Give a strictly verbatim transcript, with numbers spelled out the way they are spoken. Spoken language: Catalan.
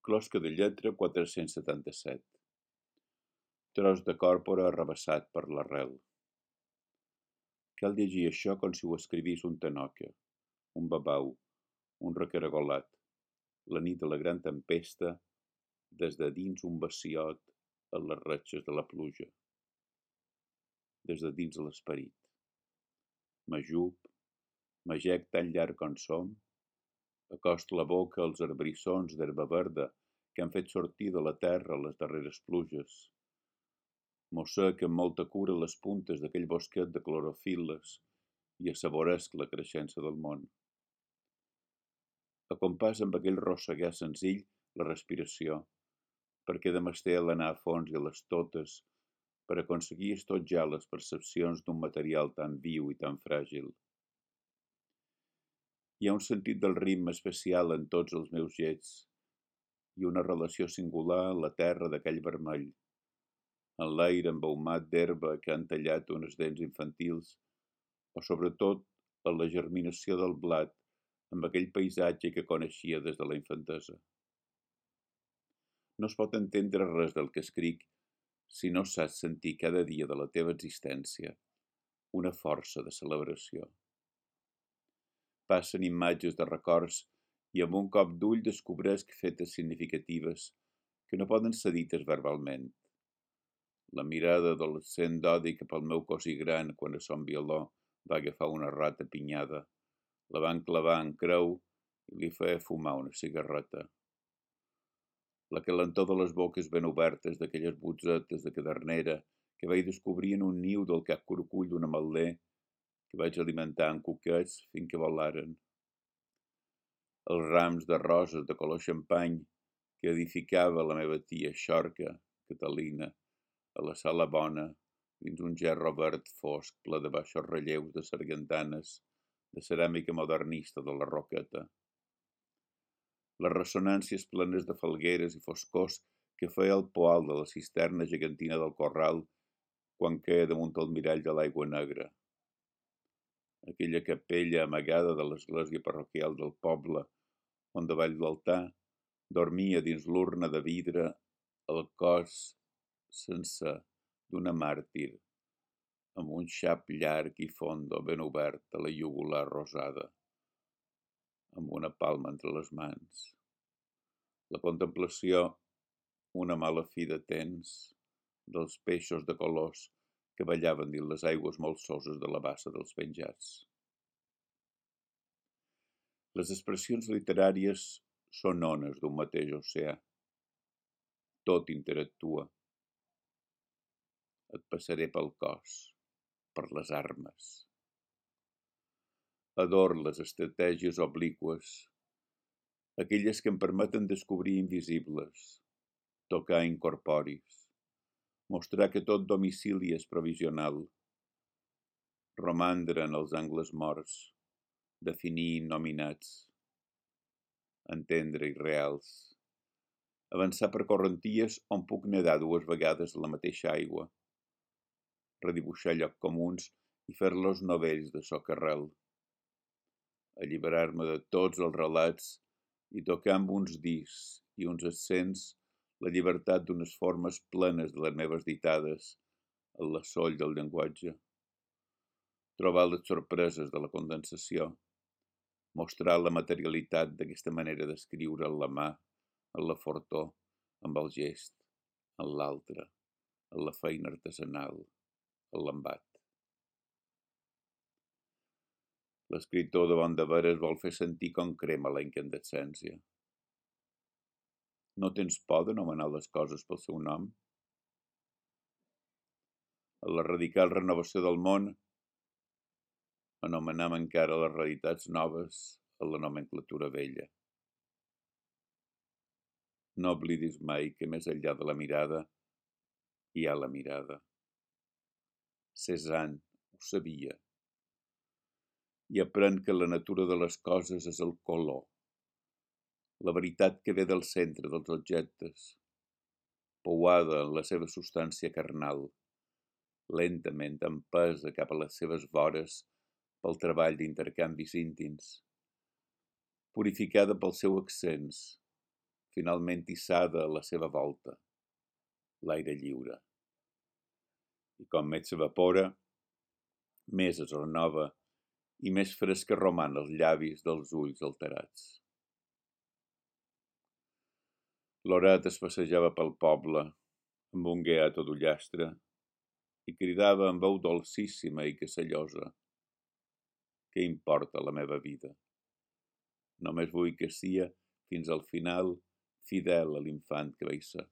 Closca de lletra quatre-cents setanta-set. Tros de còrpora arrabassat per l'arrel. Cal llegir això com si ho escrivís un tanoca, un babau, un recaragolat, la nit de la gran tempesta, des de dins un baciot a les retxes de la pluja, des de dins l'esperit. M'ajup, m'agec tan llarg com som, acost la boca als arbrissons d'herba verda que han fet sortir de la terra les darreres pluges. Mossec amb molta cura les puntes d'aquell bosquet de clorofil·les i assaboresc la creixença del món. Acompàs amb aquell rossegar senzill la respiració, perquè de mesté l'anar a fons i a les totes per aconseguir estotjar les percepcions d'un material tan viu i tan fràgil. Hi ha un sentit del ritme especial en tots els meus gets i una relació singular en la terra d'aquell vermell, en l'aire embaumat d'herba que han tallat unes dents infantils, o sobretot en la germinació del blat amb aquell paisatge que coneixia des de la infantesa. No es pot entendre res del que escric si no saps sentir cada dia de la teva existència una força de celebració. Passen imatges de records i amb un cop d'ull descobresc fetes significatives que no poden ser dites verbalment. La mirada adolescent d'odi cap al meu cosí gran quan a son violó va agafar una rata pinyada, la van clavar en creu i li feia fumar una cigarreta. La calentor de les boques ben obertes d'aquelles botzetes de cadernera que vaig descobrir en un niu del cap curcull d'un ametler que vaig alimentar amb cuquets fins que volaren. Els rams de roses de color xampany que edificava la meva tia Xorca, Catalina, a la sala bona, dins un gerro verd fosc ple de baixos relleus de sargantanes, de ceràmica modernista de la Roqueta. Les ressonàncies plenes de falgueres i foscors que feia el poal de la cisterna gegantina del corral quan queia damunt el mirall de l'aigua negra. Aquella capella amagada de l'església parroquial del poble, on davall l'altar dormia dins l'urna de vidre el cos sencer d'una màrtir, amb un xap llarg i fondo ben obert a la iugular rosada, amb una palma entre les mans. La contemplació, una mala fi de temps, dels peixos de colors que ballaven dins les aigües molsoses de la bassa dels penjats. Les expressions literàries són ones d'un mateix oceà. Tot interactua. Et passaré pel cos, per les armes. Ador les estratègies obliqües, aquelles que em permeten descobrir invisibles, tocar incorporis, mostrar que tot domicili és provisional, romandre en els angles morts, definir innominats, entendre irreals, avançar per correnties on puc nedar dues vegades a la mateixa aigua, redibuixar llocs comuns i fer-los novells de socarrel, alliberar-me de tots els relats i tocar amb uns discs i uns accents la llibertat d'unes formes plenes de les meves ditades en la soll del llenguatge, trobar les sorpreses de la condensació, mostrar la materialitat d'aquesta manera d'escriure en la mà, en la fortor, amb el gest, en l'altre, en la feina artesanal, en l'embat. L'escriptor de bon de veres vol fer sentir com crema la incandescència. No tens por d'anomenar les coses pel seu nom? En la radical renovació del món, anomenem encara les realitats noves en la nomenclatura vella. No oblidis mai que més enllà de la mirada hi ha la mirada. Cézanne ho sabia. I aprèn que la natura de les coses és el color, la veritat que ve del centre dels objectes, pouada en la seva substància carnal, lentament empesa cap a les seves vores pel treball d'intercanvis íntims, purificada pel seu accents, finalment hissada a la seva volta, l'aire lliure. I com més s'evapora, més es renova i més fresca roman els llavis dels ulls alterats. Loret es passejava pel poble amb un guiat d'ullastre i cridava amb veu dolcíssima i cassallosa: «Què importa la meva vida? Només vull que sia, fins al final, fidel a l'infant que vaig ser».